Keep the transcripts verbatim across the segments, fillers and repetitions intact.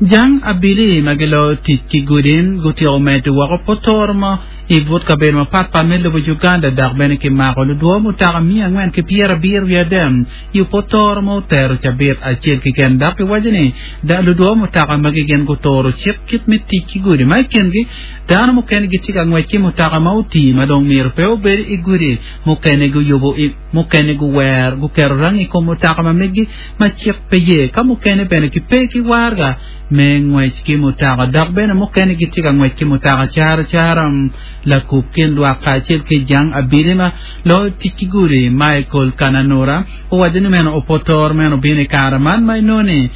Jang abili ma giloyo tic ki gudi gutyeko medo woko potoro mo i but kabedo mapatpat me lobo Uganda dok bene kimako ludwo mutoka miya angwen ki pyerabiro wiye adek i potoro ma otero cabit acel keken dok kiwaco ni ludwo mutoka magi gin guturo cik kit me tic ki gudi ma i kingi dano mukene gitye ka ngwec ki mutoka ma otii ma dong myero pe obed i gudi mukene guyubo mukene guwer guketo rangi i kom mutoka ma megi ma cik pe ye ka mukene bene gipe ki warga me ngwec ki mutoka dok bene mukene gitye ka ngwec ki mutoka caro caro lakub kin lwak kacel ki jang abili ma loyo tic ki gudi Michael Kananura owaco ni meno opotoro meno obino i kare man ma inongo ni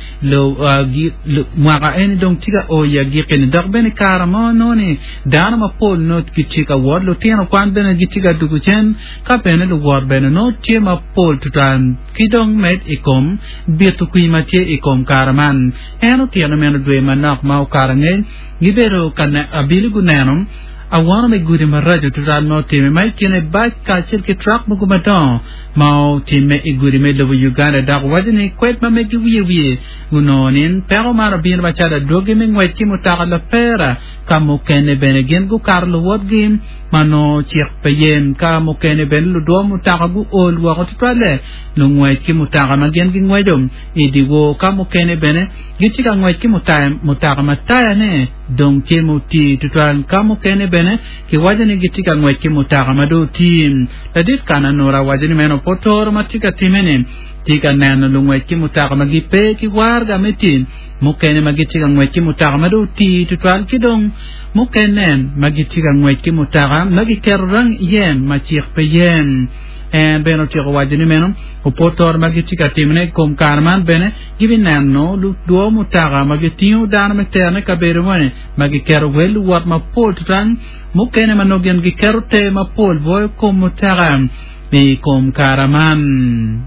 mwaka eni dong tye ka o i agikki-ni dok bene i kare mo nongo ni dano mapol nongo gitye ka wot lutino kwan bene gitye ka dugo cen ka bene luwot bene nongo tye mapol tutwal ki dong med i kom bito kwiny ma tye i kom kare man en otyeno meno dwe manok ma okato angec gibedo ka abili guneno awono me gudi maraco tutwal ma otime ma i kine bac kacel ki trak mogo madongo ma otime i gudi me lobo Uganda dok waco ni kwed ma megi wiye wiye gunongo ni peko man obino macalo adwogi me ngwec ki mutoka lapera ka mukene bene gin gukato luwotgi ma nongo cik pe ye ka mukene bene ludwo mutoka guol woko tutwalle lungwec ki mutoka ma gin gingweco i dyewor ka mukene bene gitye ka ngwec ki mutoka ma tayane dong tye mutii tutwal ka mukene bene kiwaco ni gitye ka ngwec ki mutoka ma dong otii ladit Kananura waco ni meno potoro ma tye ka time-ni tye ka neno lungwec ki mutoka ma gipe ki warga me tic mukene ma gitye ka ngwec ki mutoka ma dong otii tutwal ki dong mukene ma gitye ka ngwec ki mutoka ma giketo rangi iye ma cik pe ye en bene otyeko waco ni meno opotoro ma gitye ka timone i kom kare man bene gibineno ludwo mutoka ma gitingo dano me terone i kabedo moni ma giketo wel luwot mapol tutwal mukene ma nongo gin giketo te mapol boyo kom mutoka i kom kare man.